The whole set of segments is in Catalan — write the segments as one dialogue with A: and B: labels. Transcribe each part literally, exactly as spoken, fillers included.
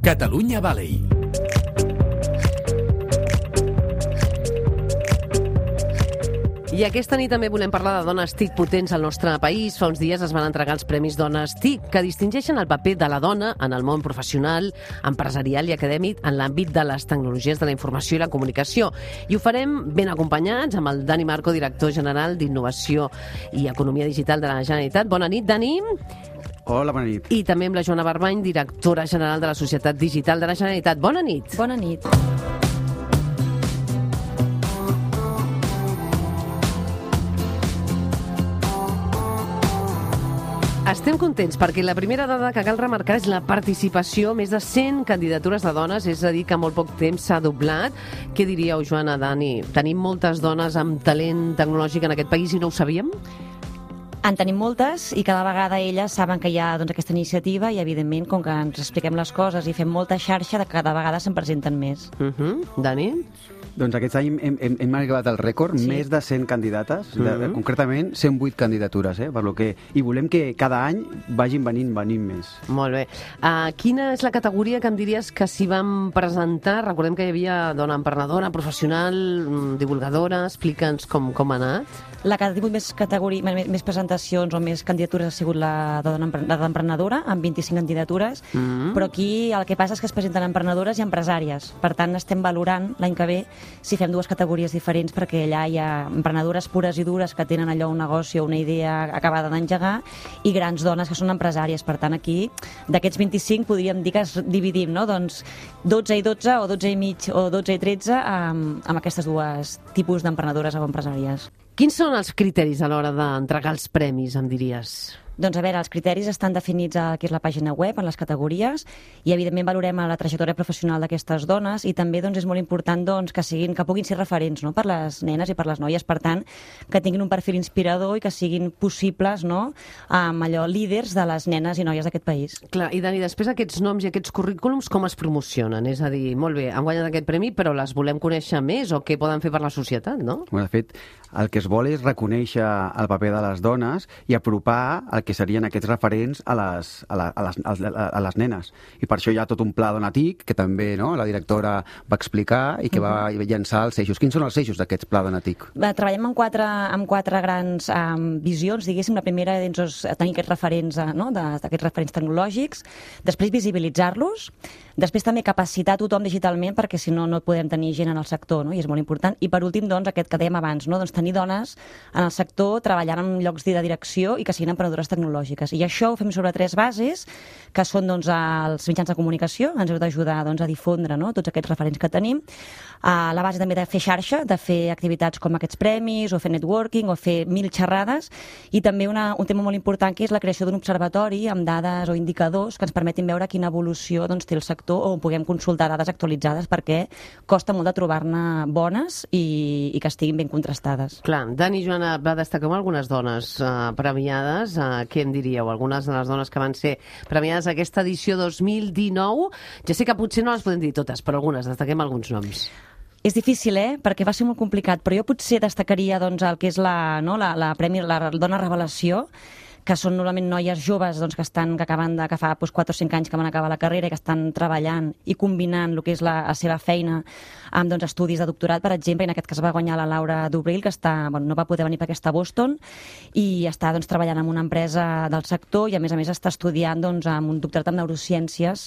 A: Catalunya Valley.
B: I aquesta nit també volem parlar de dones TIC potents al nostre país. Fa uns dies es van entregar els Premis Dones TIC, que distingeixen el paper de la dona en el món professional, empresarial i acadèmic en l'àmbit de les tecnologies de la informació i la comunicació. I ho farem ben acompanyats amb el Dani Marco, director general d'Innovació i Economia Digital de la Generalitat. Bona nit, Dani.
C: Hola, bona nit.
B: I també amb la Joana Barbany, directora general de la Societat Digital de la Generalitat. Bona nit.
D: Bona nit.
B: Estem contents perquè la primera dada que cal remarcar és la participació. Més de cent candidatures de dones, és a dir, que en molt poc temps s'ha doblat. Què diríeu, Joana, Dani? Tenim moltes dones amb talent tecnològic en aquest país i no ho sabíem?
D: En tenim moltes i cada vegada elles saben que hi ha doncs, aquesta iniciativa i, evidentment, com que ens expliquem les coses i fem molta xarxa, cada vegada se'n presenten més.
B: Uh -huh. Dani?
C: Doncs aquest any hem, hem, hem arribat al rècord, sí. Més de cent candidates, de,
B: Mm-hmm.
C: concretament cent vuit candidatures, eh, per lo que, i volem que cada any vagin venint, venint més.
B: Molt bé. Uh, quina és la categoria que em diries que s'hi van presentar? Recordem que hi havia dona emprenedora, professional, divulgadora. Explica'ns com, com ha anat.
D: La que ha tingut més, categoria, més, més presentacions o més candidatures ha sigut la de dona la d'emprenedora, amb vint-i-cinc candidatures,
B: Mm.
D: però aquí el que passa és que es presenten emprenedores i empresàries. Per tant, estem valorant l'any que ve si fem dues categories diferents, perquè allà hi ha emprenedores pures i dures que tenen allò un negoci o una idea acabada d'engegar i grans dones que són empresàries. Per tant, aquí, d'aquests vint-i-cinc, podríem dir que es dividim, no? Doncs dotze i dotze o dotze i mig o dotze i tretze amb, amb aquestes dues tipus d'emprenedores o empresàries.
B: Quins són els criteris a l'hora d'entregar els premis, em diries?
D: Doncs a veure, els criteris estan definits a que és la pàgina web, en les categories, i evidentment valorem la trajectòria professional d'aquestes dones i també doncs, és molt important doncs, que siguin que puguin ser referents, no?, per les nenes i per les noies, per tant, que tinguin un perfil inspirador i que siguin possibles, no?, amb allò líders de les nenes i noies d'aquest país.
B: Clar, i Dani, després aquests noms i aquests currículums com es promocionen? És a dir, molt bé, han guanyat aquest premi, però les volem conèixer més o què poden fer per la societat, no?
C: Bueno, de fet, el que es vol és reconèixer el paper de les dones i apropar el que serien aquests referents a les, a, la, a, les, a les nenes. I per això hi ha tot un pla Dona TIC, que també no, la directora va explicar i que va llançar els eixos. Quins són els eixos d'aquest pla Dona TIC?
D: Treballem amb quatre, amb quatre grans um, visions, diguéssim. La primera és tenir aquests referents, no, d'aquests referents tecnològics, després visibilitzar-los, després també capacitar tothom digitalment, perquè si no, no podem tenir gent en el sector, no? I és molt important. I per últim, doncs, aquest que dèiem abans, no? Doncs tenir dones en el sector treballant en llocs de direcció i que siguin emprenedores tecnològiques. I això ho fem sobre tres bases, que són doncs, els mitjans de comunicació, ens heu d'ajudar doncs, a difondre, no?, tots aquests referents que tenim. Uh, la base també de fer xarxa, de fer activitats com aquests premis, o fer networking, o fer mil xerrades, i també una, un tema molt important que és la creació d'un observatori amb dades o indicadors que ens permetin veure quina evolució doncs, té el sector, o puguem consultar dades actualitzades, perquè costa molt de trobar-ne bones i, i que estiguin ben contrastades.
B: Clar, Dani i Joana, va destacar algunes dones uh, premiades. Uh, què en diríeu? Algunes de les dones que van ser premiades a aquesta edició dos mil dinou. Ja sé que potser no les podem dir totes, però algunes, destaquem alguns noms.
D: És difícil, eh?, perquè va ser molt complicat, però jo potser destacaria doncs, el que és la, no, la, la, premi, la dona revelació, que són normalment noies joves doncs, que estan que acaben de, que fa doncs, quatre o cinc anys que van acabar la carrera i que estan treballant i combinant el que és la, la seva feina amb doncs, estudis de doctorat, per exemple. En aquest cas va guanyar la Laura Dubril, que està, bueno, no va poder venir perquè està a Boston i està doncs, treballant en una empresa del sector i a més a més està estudiant doncs, amb un doctorat en neurociències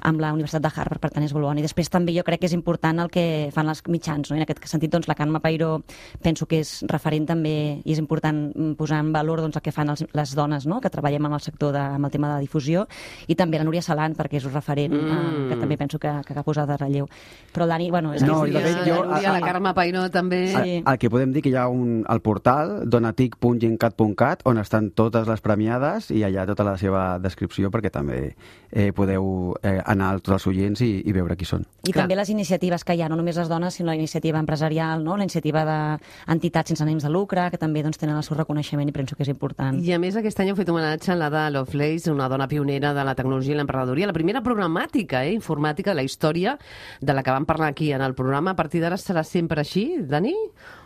D: amb la Universitat de Harvard, per tant és molt bon. I després també jo crec que és important el que fan els mitjans, no? I en aquest sentit doncs, la Carme Peiró penso que és referent també i és important posar en valor doncs, el que fan els, les dones, no?, que treballem en el sector de, amb el tema de difusió, i també la Núria Salant, perquè és un referent mm. eh, que també penso que, que ha posat de relleu. Però el Dani, bueno... És
C: no,
D: que
C: i de fet, jo...
B: La Núria, la Carme Peiró també...
D: Sí.
C: El, el que podem dir que hi ha un, al portal donatic punt gencat punt cat on estan totes les premiades i allà tota la seva descripció, perquè també eh, podeu eh, anar a tots els oients i, i veure qui són.
D: I Clar. També les iniciatives que hi ha, no només les dones, sinó la iniciativa empresarial, no?, la iniciativa d'entitats sense ànims de lucre, que també doncs, tenen el seu reconeixement i penso que és important.
B: I a més aquest any heu fet homenatge a l'Ada Lovelace, una dona pionera de la tecnologia i l'emprenedoria, la primera programàtica eh, informàtica de la història, de la que vam parlar aquí en el programa. A partir d'ara serà sempre així, Dani?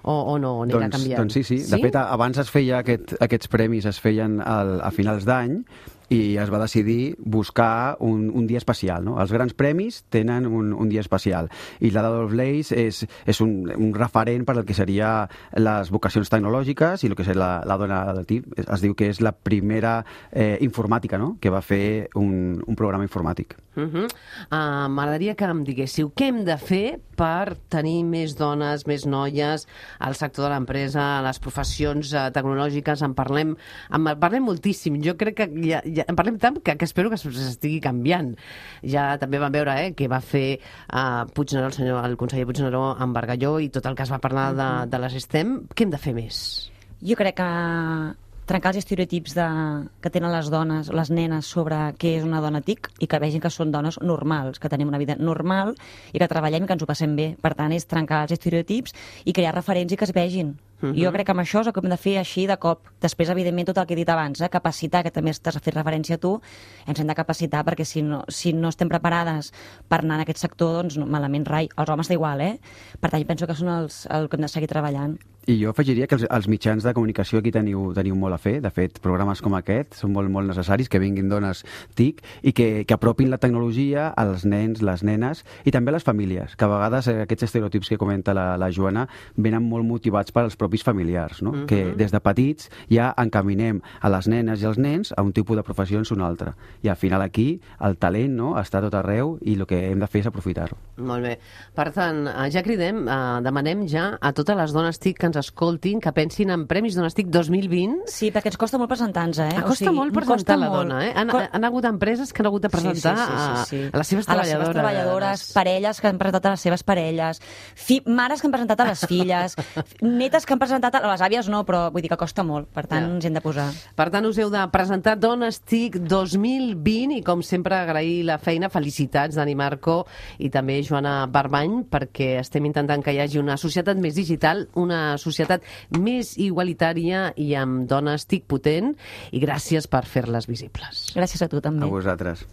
B: O, o no, anirà
C: doncs,
B: canviant?
C: Doncs sí, sí, sí. De fet, abans es feia aquest, aquests premis es feien al, a finals d'any i es va decidir buscar un, un dia especial, no? Els grans premis tenen un, un dia especial i la Ada Lovelace és, és un, un referent per al que seria les vocacions tecnològiques i el que és la, la dona del T I P. Es diu que és la primera eh, informàtica, no?, que va fer un, un programa informàtic.
B: Uh -huh. uh, M'agradaria que em diguéssiu què hem de fer per tenir més dones, més noies al sector de l'empresa, a les professions uh, tecnològiques. En parlem, en parlem moltíssim. Jo crec que ja, ja, en parlem tant que, que espero que s'estigui canviant. Ja també vam veure eh, què va fer uh, Puigneró, el, senyor, el conseller Puigneró amb Bargalló i tot el que es va parlar de, de les STEM. Què hem de fer més?
D: Jo crec que trencar els estereotips de, que tenen les dones, les nenes, sobre què és una dona TIC i que vegin que són dones normals, que tenim una vida normal i que treballem i que ens ho passem bé. Per tant, és trencar els estereotips i crear referents i que es vegin. Uh-huh. Jo crec que amb això és el que hem de fer així de cop. Després, evidentment, tot el que he dit abans, eh? capacitar, que també estàs a fer referència a tu, ens hem de capacitar perquè si no, si no estem preparades per anar en aquest sector, doncs no, malament rai. Els homes d'igual, eh? Per tant, penso que són els, el que hem de seguir treballant.
C: I jo afegiria que els, els mitjans de comunicació aquí teniu, teniu molt a fer. De fet, programes com aquest són molt, molt necessaris, que vinguin dones TIC i que, que apropin la tecnologia als nens, les nenes i també a les famílies, que a vegades eh, aquests estereotips que comenta la, la Joana venen molt motivats per als propis familiars, no? Uh-huh. Que des de petits ja encaminem a les nenes i als nens a un tipus de professions o un altre. I al final aquí el talent, no?, està tot arreu i el que hem de fer és aprofitar-ho.
B: Molt bé. Per tant, ja cridem, eh, demanem ja a totes les dones TIC que ens escoltin, que pensin en Premis Dones TIC dos mil vint.
D: Sí, perquè ens costa molt presentar-nos, eh?
B: Ah, costa o sigui, molt presentar la molt. dona, eh? Han, han hagut empreses que han hagut de presentar sí, sí, sí, sí, sí. A, a les seves
D: a
B: treballadores.
D: A les seves treballadores, parelles que han presentat a les seves parelles, fi, mares que han presentat a les filles, netes que han presentat a les àvies, no, però vull dir que costa molt, per tant ja. ens hem de posar.
B: Per tant, us heu de presentar Dones TIC dos mil vint i, com sempre, agrair la feina. Felicitats, Dani Marco i també Joana Barbany, perquè estem intentant que hi hagi una societat més digital, una societat més igualitària i amb dones TIC potent, i gràcies per fer-les visibles.
D: Gràcies a tu també.
C: A vosaltres.